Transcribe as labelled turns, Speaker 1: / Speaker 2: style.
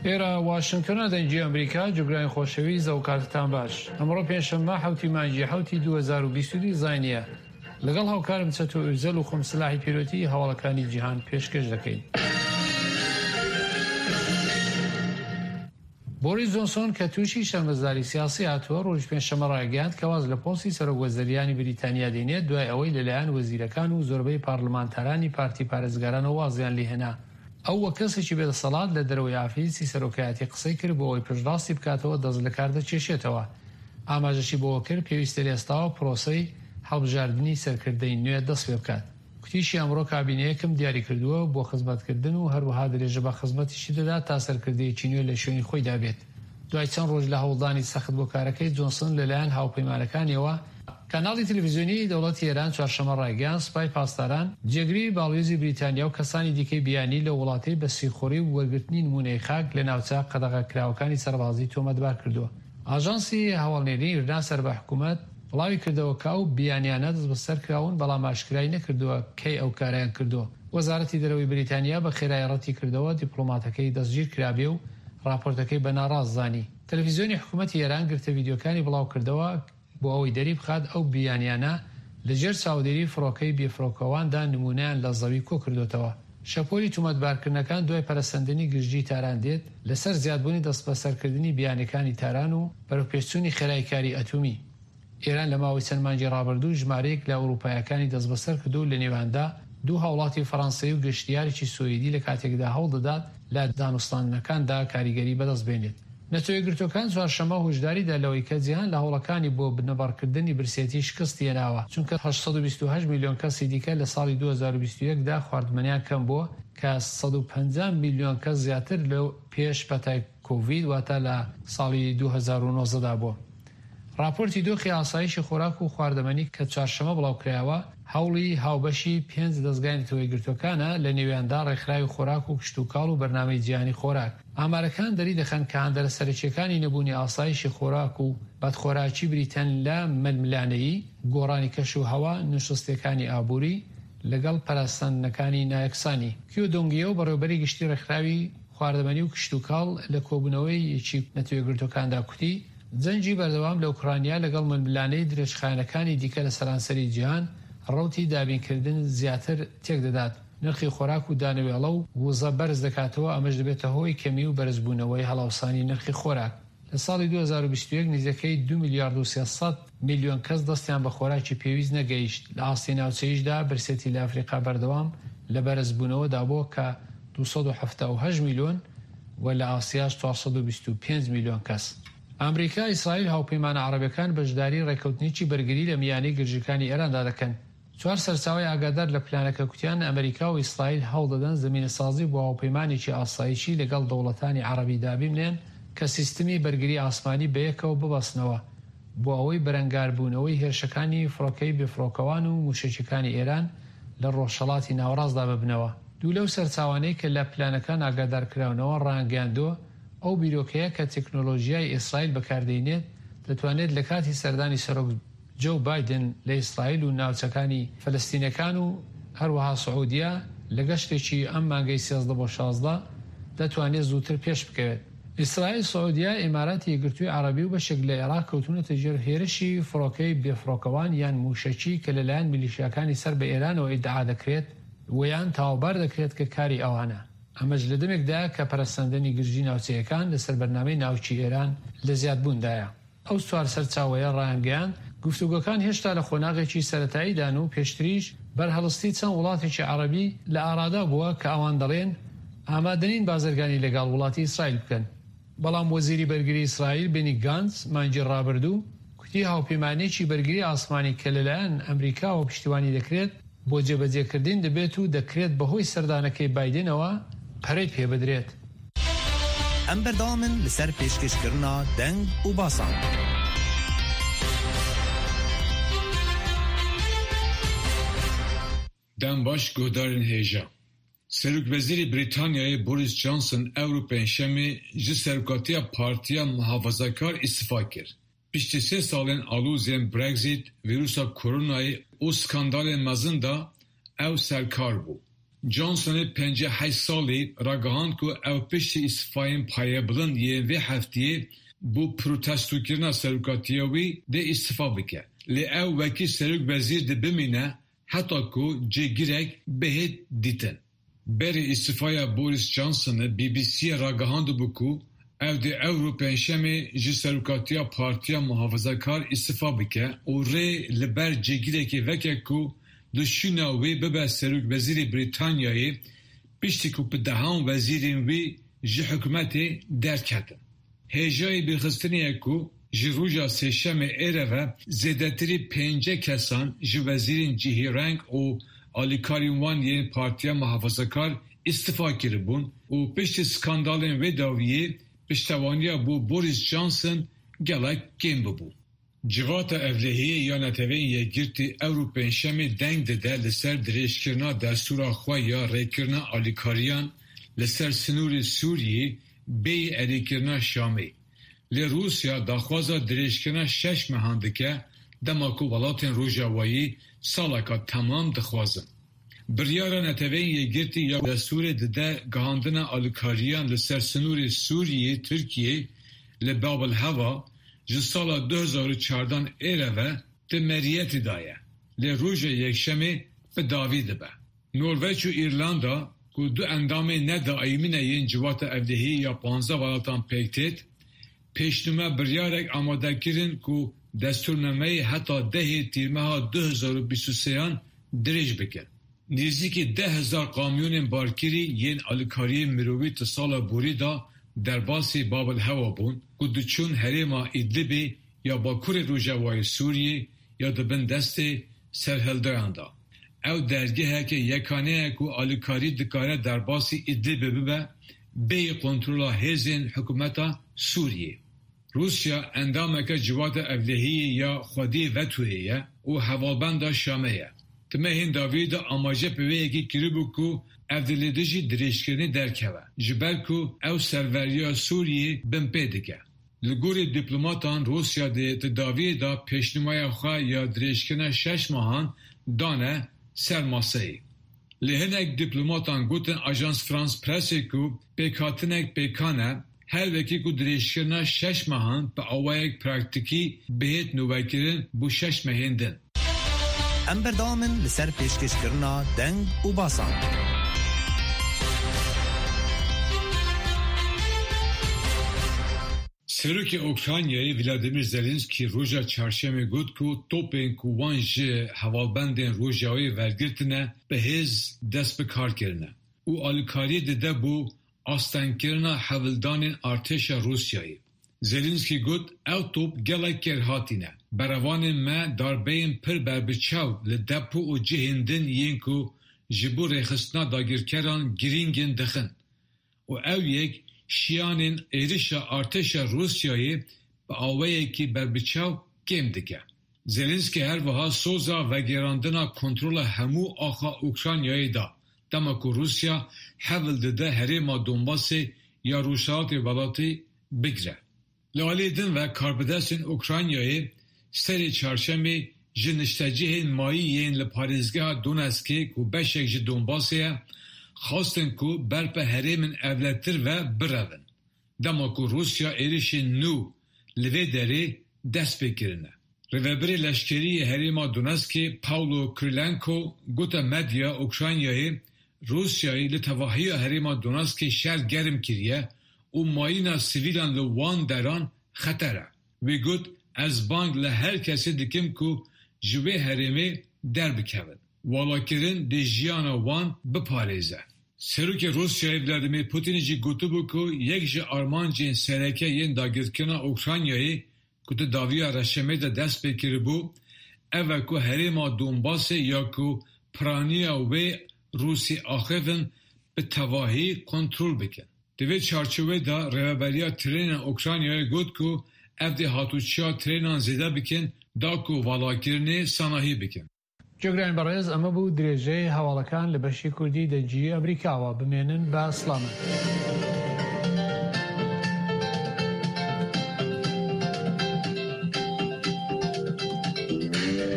Speaker 1: ئێرە واشنگتۆنە دەنگی ئەمریکا جوگرانی خۆشەویست ئەو کاتتان باش ئەمڕۆ پێنجشەممە حەوتی مانگی حەوتی 2022 زاینیە لەگەڵ هاوکارم چەتۆ ئوزەل و خۆم سلاحی پیرۆتی هەواڵەکانی جیهان پێشکەش دەکەین. بۆریس جۆنسۆن کە تووشی شەرمەزاری سیاسی هاتووە، ڕۆژی پێنجشەممە ڕایگەیاند کە واز لە پۆستی سەرۆک وەزریانی بریتانیا دێنێت دوای ئەوەی لەلایەن وەزیرەکان و زۆربەی پارلمانتارانی پارتی پارێزگارانەوە وازیان لێهێنا. ئەو وەک کەسێکی بێدەسەڵات لە دەرەوەی ئافیسی سەرۆکایەتی قسەی کرد بۆ ئەوەی پشتڕاستی بکاتەوە دەست لەکار دەکێشێتەوە. ئاماژەشی بەوە کرد پێویستە لە ئێستاوە پرۆسەی هەڵبژاردنی سەرکردەی نوێ دەستپێبکات. کوتیشی ئەمڕۆ کابینەیەکم دیاریکردووە بۆ خزمەتکردن و هەروەها درێژە بە خزمەتیشی دەدات تا سەرکردەیەکی نوێ لە شوێنی خۆیدا بێت. دوای چەند ڕۆژ لە هەوڵدانی سەخت بۆ کارەکەی، جۆنسن لەلایەن هاوپەیمانەکانیەوە، کەناڵی تەلەفزیۆنیی دەوڵەتی ئێران چوارشەممە ڕایگەیاند، سوپای پاسداران، جێگری باڵوێزی بریتانیا و کەسانی دیکەی بیانی لەو وڵاتەی بە سیخوڕی و وەرگرتنی نموونەی خاک لە ناوچە قەدەغەکراوەکانی سەربازی تۆمەتبار کردووە. ئاژانسی هەواڵنێریی ئیرنا سەر بە حکوومەت، بڵاوی کردەوە کە ئەو بیانیانە دەستبەسەر کراون، بەڵام ئاشکرای نەکردووە کەی ئەو کارەیان کردووە. وەزارەتی دەرەوەی بریتانیا بە خێرایی ڕەتی کردەوە دیپڵۆماتەکەی دەستگیر کرابێ و ڕاپۆرتەکەی بە ناڕاست زانی. تەلەفیزیۆنی حکوومەتی ئێران گرتە ڤیدیۆکانی بڵاو کردەوە بۆ ئەوەی دەری بخات ئەو بیانیانە لە ژێر چاودێری فڕۆکەی بێفڕۆکەواندا نموونەیان لە زەوی کۆ کردۆتەوە. شەپۆلی تومەتبارکردنەکان دوای پەرەسەندنی گرژی تاران دێت لەسەر زیادبوونی دەستبەسەرکردنی بیانیەکانی تاران و بەرەوپێشچوونی خێرای کاری ئەتومی. ئێران لە ماوەی چەند مانگی ڕابردوو ژمارەیەک لە ئەوروپایەکانی دەستبەسەر کردووە و لە نێویاندا دوو هاوڵاتی فەرەنسەیی و گەشتیارێکی سویدی لە کاتێکدا هەوڵدەدات لە دانوستاندنەکاندا کاریگەری بەدەست بێنێت. نەتەوەیەکگرتووەکان چوارشەممە هۆشداری دا لەوەی کە جیهان لە هەوڵەکانی بۆ بنبڕکردنی برسێتی شکستی هێناوە، چونکە 828 ملیۆن کەسی دیکە لە ساڵی 2021 دا خواردمەنیان کەم بووە کە 150 ملیۆن کەس زیاتر لە پێش پەتای کۆڤید واتە لە ساڵی 2019 دا بووە. ڕاپۆرتی دۆخی ئاسایشی خۆراک و خواردەمەنی کە چوارشەممە بڵاوکرایەوە، هەوڵی هاوبەشی پێنج دەزگای نەتەوەیەکگرتووەکانە، لە نێویاندا ڕێکخراوی خۆراک و کشتوکاڵ و بەرنامەی جیهانی خۆراک. ئامارەکان دەریدەخەن کە هاندەرە سەرەکییەکانی نەبوونی ئاسایشی خۆراک و بەدخۆراکی بریتن لە ململانێی، گۆڕانی کەش و هەوا، نوشوستییەکانی ئابووری، لەگەڵ پەرەسەندنەکانی نایەکسانی. کیۆ دۆنگیۆ، بەڕێوەبەری گشتی ڕێکخراوی خواردەمەنی و کشتوکاڵ لە کۆبوونەوەیەکی نەتەوەیەکگرتووەکاندا کوتی، جەنگی بەردەوام لە ئۆکرانیا لەگەڵ ململانێی درێژخایەنەکانی دیکە لە سەرانسەری جیهان، ڕەوتی دابینکردن زیاتر تێکدەدات، نرخی خۆراک و دانەوێڵە و وزە بەرز دەکاتەوە، ئەمەش دەبێتە هۆی کەمی و بەرزبوونەوەی هەڵاوسانی نرخی خۆراک. لە ساڵی 2021 نزیکەی دوو میلیارد و 300 میلیۆن کەس دەستیان بە خۆراکی پێویست نەگەیشت، لە ئاستی ناوچەییشدا برسێتی لە ئەفریقا بەردەوام لە بەرزبوونەوەدا بووە کە 278 میلیۆن و لە ئاسیاش 425 میلیۆن کەس. ئامریکا، ئیسرائیل، هاوپەیمانە عەڕەبەکان بەشداری ڕێککەوتنێکی بەرگری لە میانەی گرژیکانی ئێراندا دەکەن. چوار سەرچاوەی ئاگادار لە پلانەکە کوتیان ئەمریکا و ئیسرائیل هەوڵ دەدەن زەمینەسازی بۆ هاوپەیمانێکی ئاسایشی لەگەڵ دەوڵەتانی عەڕەبی دابیمنێن کە سیستمی بەرگری ئاسمانی بەیەکەوە ببەستنەوە بۆ ئەوەی بەرەنگاربوونەوەی هێرشەکانی فڕۆکەی بێفڕۆکەوان و مووشەکیەکانی ئێران لە ڕۆژهەڵاتی ناوەڕاستدا ببنەوە. دوو لەو سەرچاوانەی کە لە پلانەکان ئاگادارکراونەوە ڕایانگەیاندووە، ئەو بیرۆکەیە کە تەکنۆلۆژیای ئیسرائیل بەکاردێنێت دەتوانێت لە کاتی سەردانی سەرۆک جۆو بایدن لە ئیسرائیل و ناوچەکانی فەلەستینەکان و هەروەها سعودیە لە گەشتێکی ئەم مانگەی 13 بۆ 16 دەتوانێت زووتر پێش بکەوێت. ئیسرائیل، سعودیە، ئیماراتی یەکگرتووی عەڕەبی و بەشێک لە ئێراق کەوتوونەتە ژێر هێرشی فڕۆکەی بێفڕۆکەوان یان مووشەکی کە لەلایەن میلیشیاکانی سەر بە ئێرانەوە ئیدعا دەکرێت و یان تاوانبار دەکرێت کە کاری ئەوانە. ئەمەش لە دەمێکدایە کە پەرەسەندنی گرژی ناوچەیەکان لەسەر بەرنامەی ناوکی ئێران لە زیادبووندایە. ئەو چوار سەرچاوەیە ڕایانگەیاند، گفتوگۆکان هێشتا لە قۆناغێکی سەرەتاییدان و پێشتریش بەرهەڵستی چەند وڵاتێکی عەڕەبی لە ئارادا بووە کە ئەوان دەڵێن ئامادەنین بازرگانی لەگەڵ وڵاتی ئیسرائیل بکەن. بەڵام وەزیری بەرگری ئیسرائیل بێنی گانتس مانگی ڕابردوو کوتی هاوپەیمانییەکی بەرگری ئاسمانی کە لەلایەن ئەمریکاوە پشتیوانی دەکرێت بۆ جێبەجێکردن دەبێت و دەکرێت بەهۆی سەردانەکەی بایدنەوە پەرەی پێبدرێت.
Speaker 2: ئەم بەردەوامن لەسەر پێشکەشکردنا دەنگ و باسان.
Speaker 3: Dem baş guhdarên hêja. Serokwezîrê Brîtanyayê Boris Johnson ewro Pêncşemê ji serokatiya Partiya Muhafazakar îstifa kir. Piştî sê salên aloziyên Brexit, vîrusa koronayê û skandalên mezin de ew serkar bû. Johnsonê 58 salî ragihand ku ew piştî îstifayên payebilind yên vê hefteyê bo protestokirina serokatiya wî dê îstifa bike. Lê ew wekî serokwezîr dê bimîne heta ku cêgirek bihê dîtin. Berê îstifaya Boris Johnsonê BBC'ê ragihandibû ku ew dê ewro pêncşemê ji serokatiya Partiya Muhafazakar îstifa bike û rê li ber cêgirekê veke ku di şûna wê bibe serokwezîrê Brîtanyayê piştî ku bi dehan wezîrên wî ji hikûmetê derketin. Hêjayê bîrxistinê ye ku ji roja sêşemê êre ve zêdetirî pênceh kesan ji wezîrên cihêreng û alîkarên wan yên Partiya Muhafazakar îstifa kiribûn û piştî skandalên wê dawiyê piştewaniya bo Boris Johnson gelek kêm bûbû. Civata Ewlehiyê ya Neteweyên Yekgirtî ewro pêncşemê deng dide li ser dirêjkirina destûra xwe ya rêkirina alîkariyan li ser sinorê Sûriyê bêyî erêkirina Şamê. Lê Rûsya daxwaza dirêjkirina şeş mehan dike dema ku welatên Rojavayî saleka temam dixwazin. Biryara Neteweyên Yekgirtî ya destûrê dide gihandina alîkariyan li ser sinorê Sûriyê-Tirkiyê li Bab el-Hewa ji sala 2014 êre ve di meriyetê de ye, lê roja Yekşemê bi dawî dibe. Norveç û Îrlanda ku du endamên ne daîmî ne yên Civata Ewlehiyê ya 15 welatan pêk têt, pêşnûme biryarek amade kirin ku destûrnameyê heta dehê Tîrmeha 2023an dirêj bikin. Nêzîkî 10,000 kamyonên barkirî yên alîkariyên mirovî di sala borî de derbasî Bab el-Hewa bûn ku diçûn herêma Idlibê ya bakurê Rojavayê Sûriyê ya di bin destê serhildayan de. Ew dergeheke yekane ye ku alîkarî dikare derbasî Idlibê bibe bêyî kontrola hêzên hikûmeta Sûriyê. Rûsya endameke Civata Ewlehiyê ya xwedî vetoyê ye û hevalbenda Şamê ye. Di mehên dawiyê de amaje bi wê yekê kiribû ku ev dê li dijî dirêjkirinê derkeve, ji ber ku ew serveriya Sûriyê binpê dike. Li gorî dîplomatan Rûsya dê di dawiyê de pêşnûmaya xwe ya dirêjkirina şeş mehan dane ser maseyê. Lê hinek dîplomatan gotin Ajans France Pressê ku pêkhatinek pêkan e, her wekî ku dirêjkirina şeş mehan bi awayek praktîkî bihêt nûvekirin bo şeş mehên din.
Speaker 2: Em berdewam in li ser pêşkêşkirina deng û basan.
Speaker 3: Serokê Ukraynayê Vladimir Zelenskiy roja Çarşemê got ku topên ku wan ji hevalbendên Rojavayê wergirtine bi hêz dest bi kar kirine û alîkariyê dide bo astengkirina hewldanên artêşa Rûsyayê. Zelenskiy got ew top gelek kêrhatî ne. Berevanên me darbeyên pir berbiçav li depo û cihên din yên ku ji bo rêxistina dagirkeran girîng in dixin û ew yek şiyanên êrişa artêşa Rûsyayê bi awayekî berbiçav kêm dike. Zelenskiy her wiha soza vegerandina kontrola hemû axa Ukraynayê da dema ku Rûsya hewl dide herêma Donbasê ya Rojhilatê welatî bigire. Li aliyê din ve karbidestên Ukraynayê serê çarşemê ji niştecihên mayî yên li parêzgeha Donetskê ku beşek ji Donbasê ye, xwestin ku berpe herêmên ewletir ve birevin, dema ku Rûsya êrişên nû li vê derê dest pê kirine. Rêveberê leşkerî yê herêma Donetskê Pavlo Kirilenko gote medya Ukraynayê Rûsyayê li tevahiya herêma Donetskê şer germ kiriye û mayîna sivîlan li wan deran xeter e. Wî got, Ez bang li her kesê dikim ku ji wê herêmê derbikevin. Walakirin dê jiyana wan biparêze. Serokê Rûsyayê Vladimir Putin jî gotibû ku yek ji armancên sereke yên dagirkirina Ukraynayê ku di dawiya reşemê de dest pê kiribû, ev e ku herêma Donbasê ya ku piraniya wê Rûsî axivin bi tevahî kontrol bikin. Di vê çarçoveyê de Rêveberiya Trênên Ukraynayê got ku ev dê hatûçiya trênan zêde bikin da ku valakirinê sanahî bikin.
Speaker 1: جێگرانی بەڕێز ئەمە بوو درێژەی هەواڵەکان لە بەشی کوردی دەنگی ئەمریکاوە بمێنن بە سڵامەت.